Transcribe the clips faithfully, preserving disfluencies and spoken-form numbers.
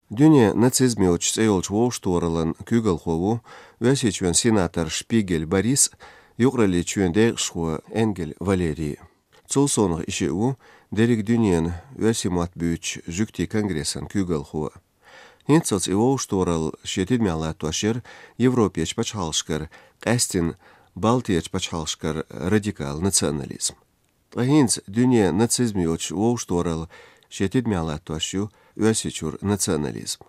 Дуьне нацизм йоцуш цӀе йолчу вовшахтохараллин куьйгалхо ву Оьрсийчоьнан сенатор Шпигель Борис, юкъараллин чоьнан декъашхо Энгель Валерий. Цул совнаха и шиъ ву дерриг дуьненан оьрсийн мотт буьйцучу жуьгтийн конгрессан куьйгалхо. ХӀинццалц и вовшахтохаралла шен тидамехь латтош яра Европерчу пачхьалкхашкара, къаьсттина Балтерчу пачхьалкхашкара радикал национализм. Ткъа хӀинца дуьне нацизм йоцуш вовшахтохаралла шен тидамехь латтош ю Оьрсийчуьра национализм.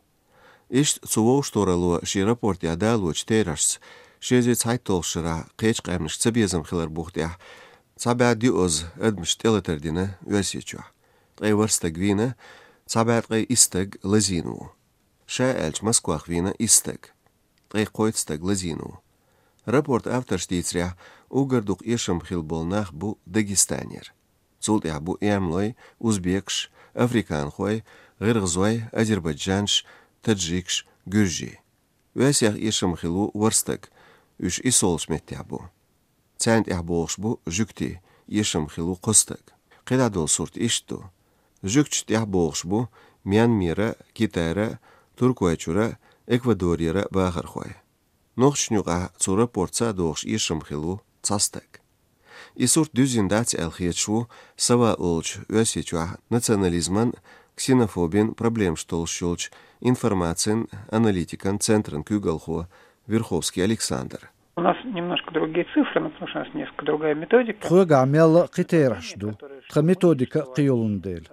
Иштта цу вовшахтохаралло шен рапортехь далочу терахьашца, ши эзар цхьайтталгӀачу шарахь кхечу къаьмнашка цабезам хилар буха тӀехь, цхьа бӀе диъазза адамаш тӀелатар дина Оьрсийчохь. Ткъе ворхӀ стаг вийна, цхьа бӀе ткъе исс стаг лазийна ву. Ша аьлча, Москвахь вийна исс стаг. Ткъе кхойтта стаг лазийна ву. Рапортан авторша дийцарехь, уггар дукха эшам хилла болу нах бу Дагестанера. Цул тӀаьхьа бу эмалой, узбекаш, африканхой, гӀиргӀазой, азербайджанаш, таджикаш, гуьржий. Оьрсех эшам хилла ву ворхӀ стаг, уьш иссолгӀачу меттехь бу. Царна тӀехь богӀуш бу жуьгтий, эшам хилла ву кхо стаг. КхидӀа долу сурт иштта ду. Жуьгташна тӀехь богӀуш бу Мьянмера, Китайра, Туркойчуьра, Эквадорера бахархой. Нохчашна юкъахь цу рапортца а догӀуш эшам хилла ву цхьа стаг. И сурт дуьззина дац аьлла хеташ ву Сава олучу Оьрсийчохь национализман, ксенофобин проблемаш толлуш йолчу информацин аналитикан центран куьйгалхо Верховский Александр. У нас немножко другие цифры, ну, потому что у нас несколько другая методика. Тхоьгахь мелла а кхин терахьаш ду, тхан методика а кхин йолун дела.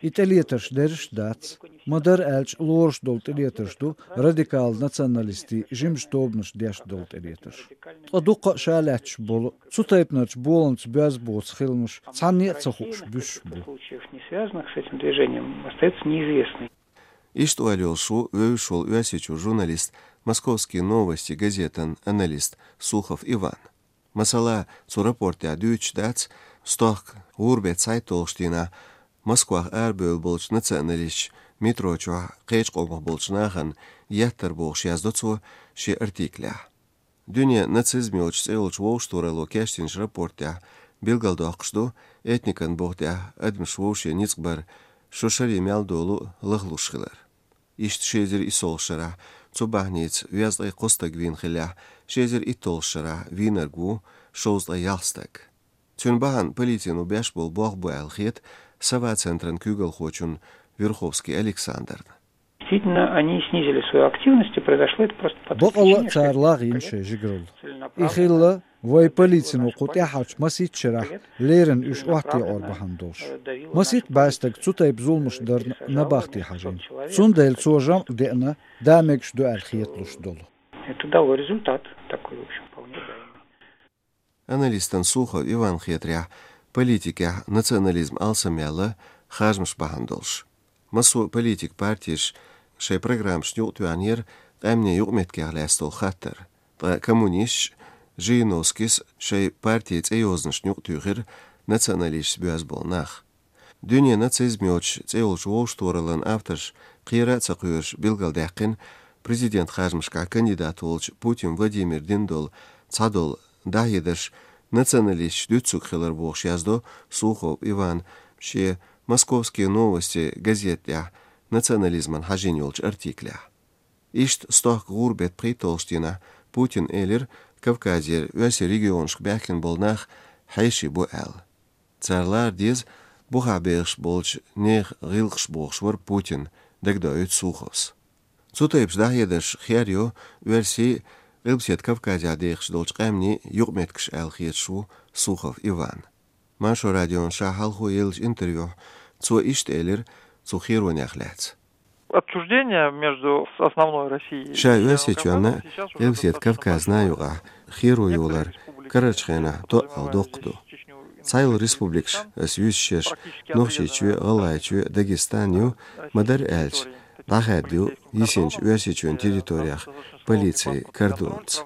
И тӀелетарш дерриш а дац. Ма-дарра аьлча, лоруш долу тӀелетарш ду радикал националистийн жимачу тобанаша деш долу тӀелетарш. Ткъа дуккха а ша лаьтташ болу, цу тайпанарчу боламца боьзна боцу хиламаш цхьанне а ца хууш буьсуш бу. Случаев, не связанных с этим движением, остаются неизвестными. Иштта ойла йолуш ву вевзаш волу Оьрсийчуьра журналист, «Московские новости» газетан аналист Сухов Иван. Масала, цу рапортехь дуьйцуш дац, стохка гӀуран беттан цхьайтталгӀачу дийнахь Москвахь арабевлла болчу националисташа метро чохь кхечу къомах болчу нахана еттар бохуш яздо цо шен артиклехь. Дуьне нацизм йоцуш цӀе йолчу вовшахтохаралло кечдинчу рапортехь билгалдоккхуш ду этникан буха тӀехь адамаш вовшийн ницкъ бар шо шаре мел долу лахлуш хилар. Иштта ши эзар иссолгӀачу шарахь цу бахьаница везткъе кхо стаг вийна хиллехь, ши эзар итталгӀачу шарахь вийнарг ву шовзткъе ялх стаг. Цуьнан бахьана полицино беш болу болх бу аьлла хета Сова центран куьйгалхочун Верховский Александрна. Действительно, они снизили свою активность, и произошло это просто по той причине, что... Бакъалла а цара лагӀйина шайн жигаралла. И хилла вайн полицино кху тӀаьххьарчу масийтта шарахь леррина уьш охьатаӀор бахьана долуш. Масийтта бӀе стаг цу тайпа зуламаш дарна набахте хьажийна. Цундела цо жамӀ деана, да мегаш ду аьлла хеталуш долу. Это дало результат такой, в общем, вполне ожидаемый. Аналистан Сухов Иван хетарехь, политикехь национализм алсамъяьлла харжамаш бахьана долуш. Массо а политик партеш шайн программашна юкъатоьхнера къаьмнийн юкъаметтигех лаьцна долу хаттар. Ткъа коммунисташ, Жириновскийс шайн партин цӀейозанашна юкъатуьйхира националисташца боьзна болу нах. Дуьне нацизм йоцуш цӀе йолчу вовшахтохараллин авторш кхера а ца кхоьруш билгалдаьккхина президент харжамашкахь кандидат волчу Путин Владимира дина долу цхьадолу дӀахьедарш националисташ дуьцург хилар бохуш яздо Сухов Иван шен «Московские новости» газета тӀехь национализман хьажийна йолчу артиклехь. Иштта стохка гӀуран беттан пхийтталгӀачу дийнахь Путина элира Кавказера оьрсийн регионашка баьхкина болу нах хьеший бу аьлла. Цара лара деза бухахь бехаш болчу нехан гӀиллакхаш бохуш вара Путин, дагадоуьйту Суховс. Цу тайпа дӀахьедарш хер йо оьрсийн, Къилбаседа Кавказехь дехаш долчу къаьмнийн юкъаметтигаш аьлла хеташ ву Сухов Иван. Маршо радион ша хьалхо еллачу интервьюхь цо иштта элира цу херонех лаьцна. Отчуждение между с-, основной Россией и Северным Кавказом сейчас уже достаточно большое. Ша Оьрсийчоьнна Къилбаседа Кавказна юкъахь херо йолар карарчу хенахь тоъал доккха ду. Цхьайолу республикаш, ас юьйцуш ерш, Нохчийчоь, ГӀалгӀайчоь, Дагестан ю, ма-дарра аьлча, дӀахаьдда ю йисинчу Оьрсийчоьнан территорех полицин кордонца.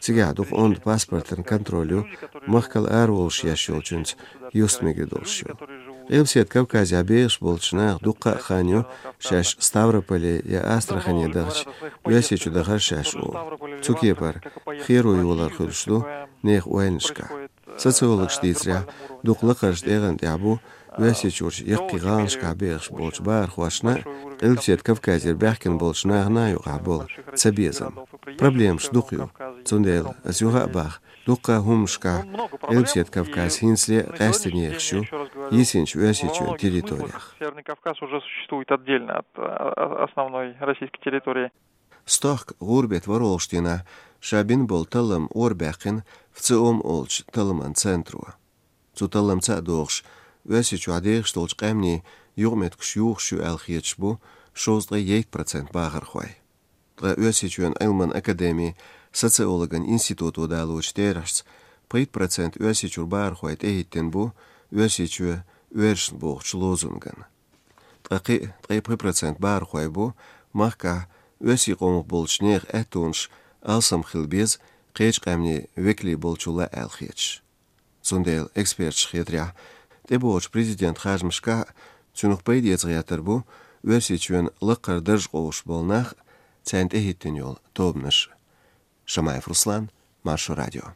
Цигахь дукха онда паспортан контроль ю, махкал араволуш еш йолчуьнца юстмегар долуш ю. Къилбаседа Кавказехь бехаш болчу наха дуккха а хан ю шаьш Ставрополе я Астрахане дахча, Оьрсийчу дахар шаьш олу. Цу кепара херо йолар хуьлуш ду нехан ойланашкахь. Социологаша дийцарехь, дукха лакхарчу тӀегӀан тӀехь бу Оьрсийчуьрчу яккхий гӀаланашкахь бехаш болчу бахархошна а, Къилбаседа Кавказера баьхкина болчу нахана а юкъахь болу цабезам. Проблемаш дукха ю. Цундела ас юха а боху, дуккха а хӀуманашкахь Къилбаседа Кавказ хӀинцале а къаьсттина ехаш ю йисинчу Оьрсийчоьнан территорех. Северный Кавказ уже существует отдельно от, а, а, основной российской территории. Стохка гӀуран-беттан ворхӀалгӀачу дийнахь ша бина болу таллам орабаьккхина ВЦИОМ олучу талламан центро. Цу талламца а догӀуш, Оьрсийчохь дехаш долчу къаьмнийн юкъаметтигаш юхуш ю аьлла хеташ бу шовзткъе итт процент бахархой. Ткъа Оьрсийчоьнан Ӏилманан академин социологан институто далочу терахьца, пхийтта процент Оьрсийчуьра бахархой тӀехӀиттина бу «Оьрсийчоь оьрсашна» бохучу лозунгана. Ткъа кхин а ткъе пхи процент бахархой бу махкахь оьрсийн къомах болчу нехан аьттонаш алсам хила беза кхечу къаьмнийн векале болчул а аьлла хеташ. Цундела эксперташна хетарехь, тӀебогӀучу президентан харжамашкахь а цунах пайда эца гӀертар бу Оьрсийчоьнан лакхара дарж къовсуш болу нах а, царна тӀехӀиттина йолу тобанаш а. Шамаев Руслан, Маршо радио.